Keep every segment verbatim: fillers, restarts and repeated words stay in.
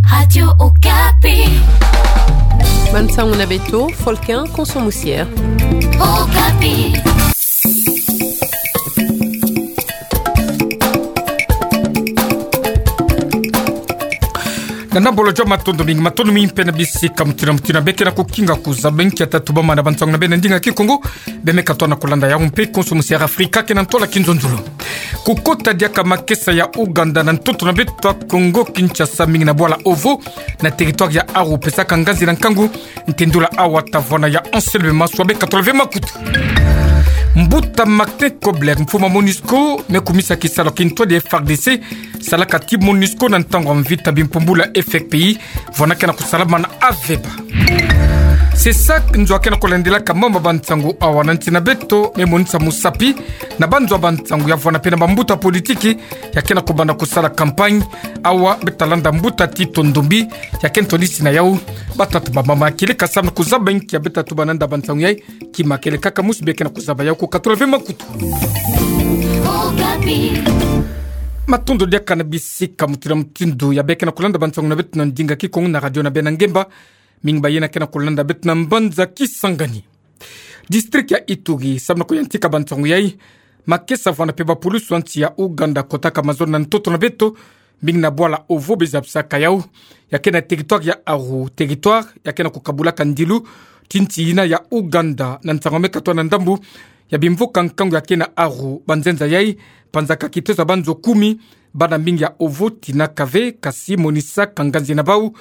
Radio Okapi. Bansango na beto, Folkin Konso Musier. Okapi. Na nambolo jô, matondo mingi, matondo mingi mpe na bisika mutindu na mutindu beke na kukinga kuzaba nkia tatubama na bansango na beno na ndinga Kikongo. Bemeka tona kulanda yau mpe Konso Musier Afrika ke na ntwala kinzonzolo. Kukota diaka makesa ya Ouganda na ntoto na beto Kongo Kinshasa, mingi na bwala Ovo, na territoire ya Aru, pesaka nganzi na nkangu. Ntindula awa tavwanda ya Anselme Maswa, beka tolave makutu. Mbuta Martin Kobler, mfumu a MONUSCO, me kumisa kisalu kintwadi F R D C salaka ti MONUSCO na ntangu a mvita bimpumbulu ya F R P I, vwanda ke na kusalamana aveba. Sesak nzo ake na kulandelaka mama bansango awa na nsi na beto, me monisa musapi na banzo a bansango ya vwanda mpe na bambuta politiki ya ke na kubanda kusala campagne. Awa beta landa mbuta Tito Ndombi, ya ke ntwadisi na yau. Batata bamama, kieleka samu na kuzaba nkia beta tuba na nda bansango yai. Kima kieleka ka musi beke na kuzaba yau, kukatula ve makutu. Matondo diaka na bisika mutindu na mutindu ya beke na kulanda bansango na beto na ndinga Kikongo na radio na beno na ngemba. Mingi bayina ke na kulanda beto na mbanza Kisangani. District ya Ituri, samu na kuyantika bansango yai, makesa vwanda mpe bapulusu a nsi ya Ouganda kotaka mazono na ntoto na beto, mingi na bwala Ovo, be zabisaka yau. Ya ke na territoire ya Aru, territoire ya ke na kukabulaka ndilu ti nsi yina ya Ouganda, na nsangu me katwa na ndambu ya bimvuka nkangu ya ke na Aru. Banzenza yai, panzaka kitezo ya banzo kumi, bana mingi ya Ovo tinaka ve, kasi monisaka nganzi na bau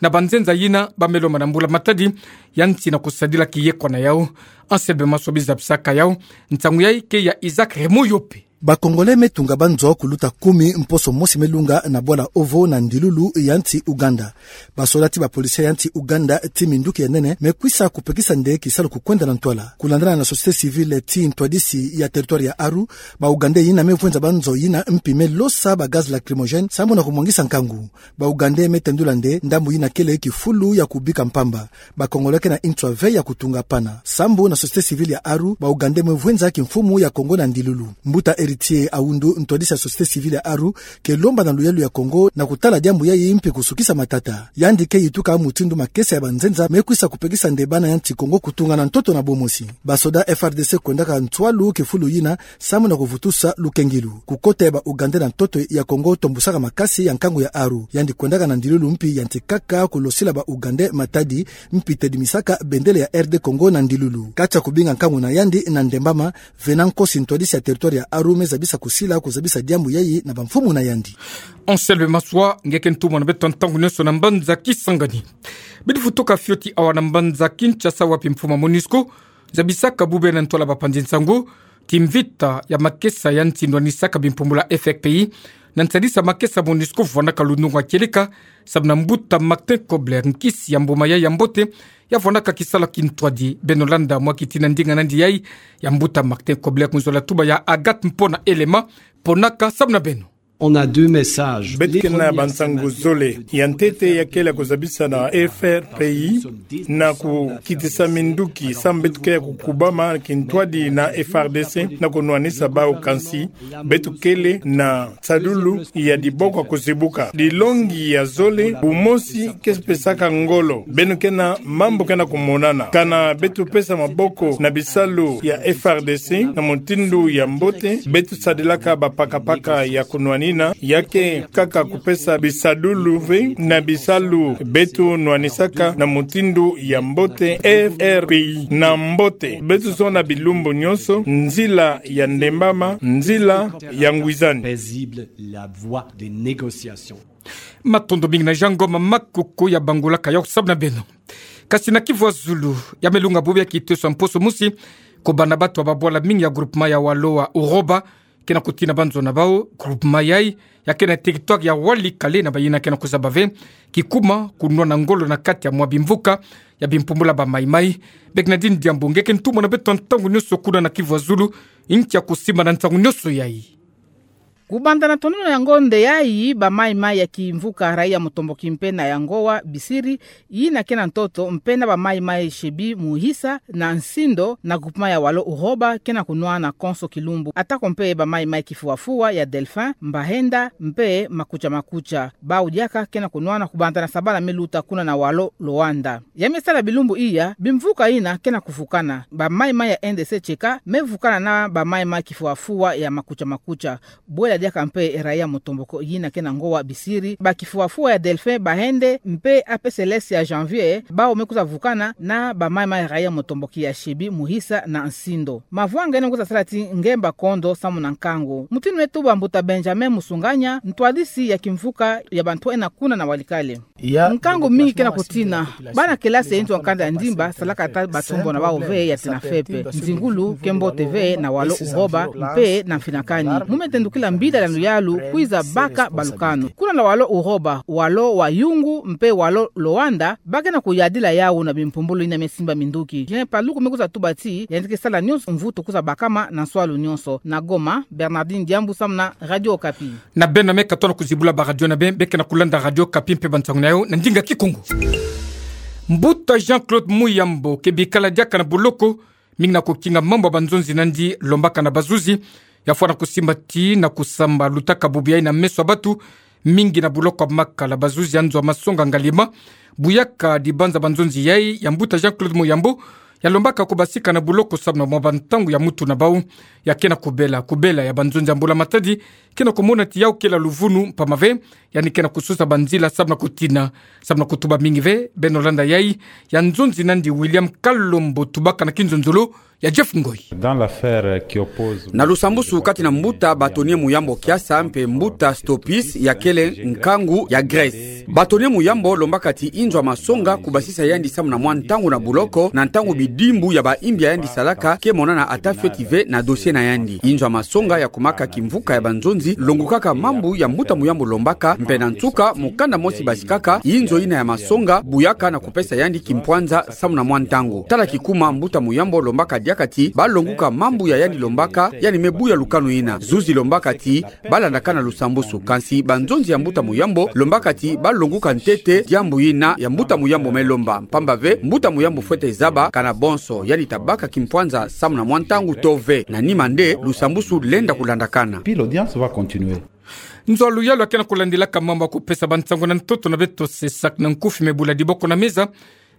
na banzenza yina, ba me lomba na mbula matadi ya nsi na kusadila kiyekwa na yau. Anselme Maswa, be zabisaka yau. Nsangu yai ke ya Isaac Remoyope. Ba Congolais me tunga banzo kuluta kumi mposo mosi me lunga na bwala Ovo na ndilulu ya nsi Ouganda. Basoda ti bapolisi ya nsi Ouganda ti minduki ya nene me kwisa kupekisa nde kisalu kukwenda na ntwala. Kulandana na société civile ti ntwadisi ya territoire ya Aru, ba Ougandais yina me vwenza banzo yina mpi me losa ba gaz lacrymogène samu na kumwangisa nkangu. Ba Ougandais me tendula nde ndambu yina kele kifulu ya kubika mpamba. Ba Congolais ke na nswa ve ya kutunga pana. Sambu na société civile ya Aru, ba Ougandais me vwenza kimfumu ya Congo na ndilulu. Mbuta Héritier Aoundou, ntwadisi ya société civile ya Aru, ke lomba na luyalu ya Congo na kutala diambu yai mpi kusukisa matata. Yandi ke yituka mutindu makesa ya banzenza me kwisa kupekisa nde bana ya nsi Congo kutunga na ntoto na bomosi. Basoda F R D C kwendaka ntwalu kifulu yina samu na kuvutusa lukengilu. Kukota ya ba Ougandais na ntoto ya Congo tombusaka makasi ya nkangu ya Aru. Yandi kwendaka na ndilulu mpi yantikaka kulosila ba Ougandais matadi, mpi tedimisaka bendele ya R D Congo na ndilulu. Kati ya kubinga nkangu na yandi na Ndembama, Venant Nkosi, ntwadisi ya territoire ya Aru, me zabisa kusila kuzabisa diambu yai na bamfumu na yandi. Anselme Maswa, nge ke ntumwa na beto ntangu nyonso na mbanza Kisangani. Bidi vutuka fioti awa na mbanza Kinshasa, wapi mfumu a MONUSCO zabisaka bube na ntwala bapanzi nsangu ti mvita ya makesa ya nsi nwanisaka bimpumbulu ya F R P I, na nsadisa makesa MONUSCO vwanaka lunungu a kieleka, samu na mbuta Martin Kobler, nkisi ya mbuma yai ya mbote ya vwanaka kisalu kintwadi. Beno landa mwa kiti na ndinga nandi yai ya mbuta Martin Kobler, nzola tuba ya Agathe Mpona Elema, ponaka samu na beno. On a deux messages. Beto ke na bansangu zole. Ya ntete ya kele kuzabisa na F R P I na kukitisa minduki samu beto ke ya kukubama kintwadi na F R D C na kunwanisa bau, kansi beto kele na nsadulu ya diboko kuzibuka. Dilongi ya zole, bumosi ke pesaka ngolo. Beno ke na mambu ke na kumonana. Kana beto pesa maboko na bisalu ya F R D C na mutindu ya mbote, beto sadilaka bapakapaka ya kunwanina, ya ke kaka kupesa bisadulu ve na bisalu beto nwanisaka na mutindu ya mbote. F R P I na mbote. Beto zona bilumbu nyonso nzila ya Ndembama, nzila ya ngwizani. Paisible, la voie de négociation. Matondo mingi na Jean Ngoma Makoko ya bangulaka yau samu na beno. Kasi na Kivu ya Zulu, ya me lunga bube ya kiteso ya mposo mosi, ko bana batu ya babwala mingi ya groupement ya Waloa Uroba ke na kutina banzo na bau. Groupement yai ya ke na territoire ya Walikale, na bayina ke na kuzaba ve kikuma kunwana ngolo na kati ya mwa bimvuka ya bimpumbulu ya ba Mai-Mai. Bernardine Diambu, nge ke ntumwa na beto ntangu nyonso kuna na Kivu ya Zulu, nkia kusimba na nsangu nyonso yai? Kubanda na tonono ya ngonde yayi, bamaimai ya kimvuka Raia Mutomboki mpe na Yangowa Bisiri, yina ke na ntoto mpe na bamaimai Shebi Muhisa na Nsindo na groupement ya Walo Uroba ke na kunwana konso kilumbu. Atako mpe bamaimai Kifuafua ya Delphin, Mbahenda mpe Makucha Makucha. Bau diaka ke na kunwana kubanda na sabala me luta kuna na Walo Luanda. Ya me sala bilumbu iya, bimvuka yina ke na kuvukana. Bamaimai ya N D C tieka me vukana na bamaimai Kifuafua ya Makucha Makucha. Bwela diaka mpe Raia Mutomboki yina ke na Ngowa Bisiri, ba Kifuafua ya Delphin, Bahenda mpe A P C L S ya Janvier, bau me kwiza vukana na bamaimai Raia Mutomboki ya Shebi Muhisa na Nsindo. Mavwanga yina me kwiza sala ti ngemba kondo samu na nkangu. Mutindu me tuba mbuta Benjamin Musunganya, ntwadisi ya kimvuka ya bantu ena kuna na Walikale. Nkangu mingi ke na kutina. Bana kelasi ya inzo ya nkanda ya ndimba salaka ata batombo na bau ve ya tena fepe. Nzingulu ke mbote ve na Walo Uroba mpe na mfinakani. Mu me tendukila mbila ya luyalu kwiza baka balukanu. Kuna na Walo Uroba, Walo wa Yungu mpe Walo Luanda, ba ke na kuyadila yawu na bimpumbulu yina me simba minduki. Julien Paluku me kwiza tuba ti yandi ke sala nyonso mvutu kwiza bakama na nswalu nyonso. Na Goma, Bernardine Diambu samu na Radio Okapi. Na beno me katono kuzibula ba radio na beno, be ke na kulanda Radio Okapi mpe bansangu na yo na ndinga Kikongo. Mbuta Jean-Claude Muyambo ke bikala diaka na boloko, mingi na kukinga mambu ya banzonzi na yandi lombaka na bazuzi, ya fwana kusimba ti na kusamba lutaka bubu yayi na meso ya batu, mingi na boloko ya Makala. Bazuzi ya nzo ya masonga Ngalima, buyaka dibanza banzonzi yayi ya mbuta Jean-Claude Muyambo, ya lombaka kubasika na boloko samu na mwa bantangu ya mutu na bau. Ya ke na kubela, kubela ya banzonzi ya Mbula Matadi ke na kumona ti yawu kele luvunu, mpamba ve yandi ke na kusosa banzila samu na kutina, samu na kutuba mingi ve. Beno landa yayi ya nzonzi na yandi William Kalombo, tubaka na kinzonzolo ya Jeff Ngoi. Dans l'affaire qui oppose Na lusambusu kati na mbuta Bâtonnier Muyambo Kiasa mpe mbuta Stopis, ya kele nkangu ya Grèce. Bâtonnier Muyambo lombaka ti inzo ya masonga kubasisa yandi samu na mwa ntangu na boloko, na ntangu bidimbu ya bayimbi ya yandi salaka ke monana ata fioti ve na dossier na yandi. Inzo ya masonga ya kumaka kimvuka ya banzonzi longukaka mambu ya mbuta Muyambo lombaka, mpe na nsuka mukanda mosi basikaka inzo yina ya masonga buyaka na kupesa yandi kimpwanza samu na mwa ntangu. Tala kikuma mbuta Muyambo lombaka diaka ti ba longuka mambu ya yandi lombaka, yandi me buya lukanu yina. Zuzi lombaka ti ba landaka na lusambusu, kansi banzonzi ya mbuta Muyambo lombaka ti ba longuka ntete diambu yina ya mbuta Muyambo me lomba, mpamba ve mbuta Muyambo fwete zaba kana bonso yandi ta baka kimpwanza samu na mwa ntangu to ve. Na nima nde lusambusu lenda kulandakana. Puis l'audience va continuer. Nzo ya luyalu ya ke na kulandilaka mambu ya kupesa bansangu na ntoto na beto CESAC na nkufi me bula diboko na meza.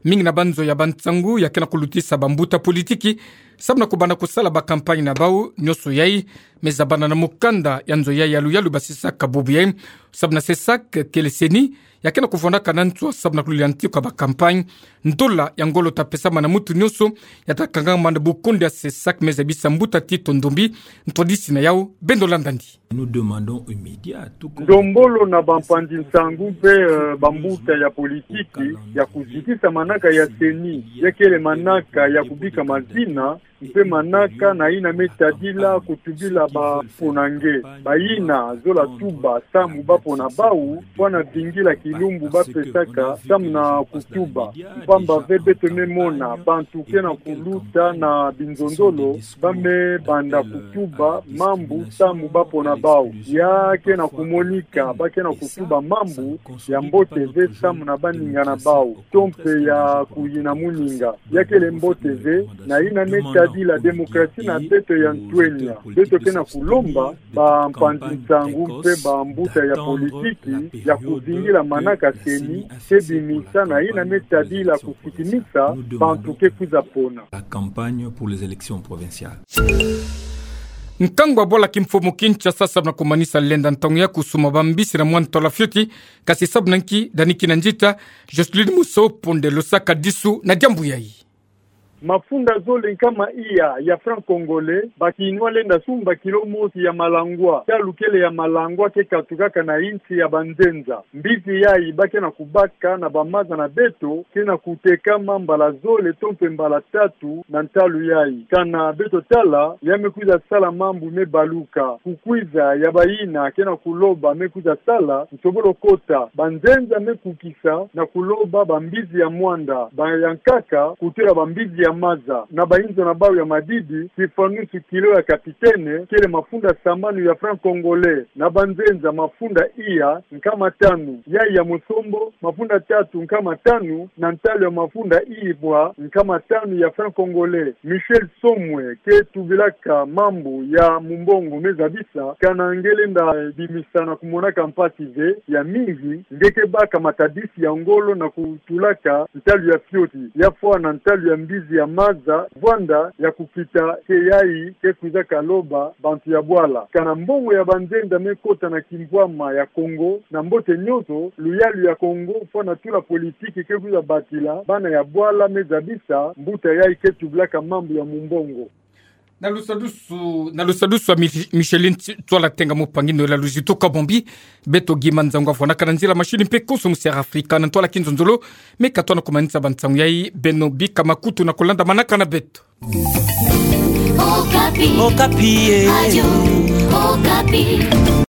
Mingi na banzo ya bansangu ya ke na kulutisa bambuta politiki samu na kubanda kusala ba campagne na bau. Nyonso yayi me zabana na mukanda ya nzo yayi ya luyalu basisaka bubu yayi. Samu na CESAC kele CENI, ya ke na kuvwandaka na nswa samu na kulila nti kwa ba campagne. Ndola ya ngolo ta pesama na mutu nyonso, ya ta kangama na bukundu ya CESAC, me zabisa mbuta Tito Ndombi, ntwadisi na yawu. Beno landa yandi. Nous demandons aux médias, tout comme Ndombolo na bampanzi nsangu mpe, euh, bambuta ya politiki ya kuzitisa manaka ya CENI, ya kele manaka ya kubika mazina, mpe manaka na yina me tadila kutubila bapona nge. Bayina zola tuba samu bapona bau, fwana vingila kilumbu ba pesaka samu na kutuba. Mpamba ve beto me mona bantu ke na kuluta na binzonzolo, ba me banda kutuba mambu samu bapona bau. Ya ke na kumonika ba ke na kutuba mambu ya mbote ve samu na baningana bau, to mpe ya kuyina muninga. Ya kele mbote ve na yina me tadila démocratie na beto ya ntwenya. Beto ke na kulomba bampanzi nsangu mpe bambuta ya politiki ya kuvingila manaka CENI ke bimisa na yina me tadila kusikimisa bantu ke kwiza pona. La campagne pour les élections provinciales. Nkangu ya bwala kimfumu Kinshasa samu na kumanisa lenda ntangu ya kusuma bambisi na mwa ntwala fioti, kasi samu na nki? Dani Kinanzita, Jocelyn Musopo nde losaka disu na diambu yayi. Mafunda zole nkama iya ya franc congolais, ba Kinois lenda sumba kilo mosi ya malangwa, talu kele ya malangwa ke katukaka na insi ya banzenza. Mbisi yayi ba ke na kubaka na bamaza na beto ke na kutekama mbala zole to mpe mbala tatu na ntalu yayi. Kana beto tala, ya me kwiza sala mambu me baluka. Kukwiza ya bayina ke na kuloba me kwiza sala, nsobolo kota. Banzenza me kukisa na kuloba bambisi ya mwanda, ba ya nkaka kutula bambisi ya maza. Na bainzo na bau ya madidi, kifanusu kilo ya kapitene kele mafunda sambanu ya franc congolais. Na banzenza, mafunda iya nkama tanu, yayi ya mosombo, mafunda tatu nkama tanu, na ntalu ya mafunda ibwa nkama tanu ya franc congolais. Michel Somwe, ke tubilaka mambu ya mumbongo me zabisa, kana nge lenda bimisa na kumonaka mpasi ve ya mingi, nge ke baka matadisi ya ngolo na kutulaka ntalu ya fioti, ya fwana ntalu ya mbizi ya maza, vwanda ya kukita ke yayi ke kwizaka loba bantu ya bwala. Kana mbongo ya banzenza me kota na kimbwama ya Kongo, na mbote nyonso, luyalu ya Kongo, fwana tula politiki ke kwiza batila bana ya bwala me zabisa mbuta yayi ke tubilaka mambu ya mumbongo. Na lusadusu, na lusadusu wa Mi-, Micheline Tsi-, Tswala Tenga Mupangi, nola luzitu ka bombi, beto Guy Manzangu afwanaka na nzila mashini mpe konso mu Sierra Africa, na ntwala kinzonzolo, me ka twana kumanisa bansangu yayi, beno bika makutu na kulandamanaka na beto. Okapi. Okapi, eh. Radio Okapi.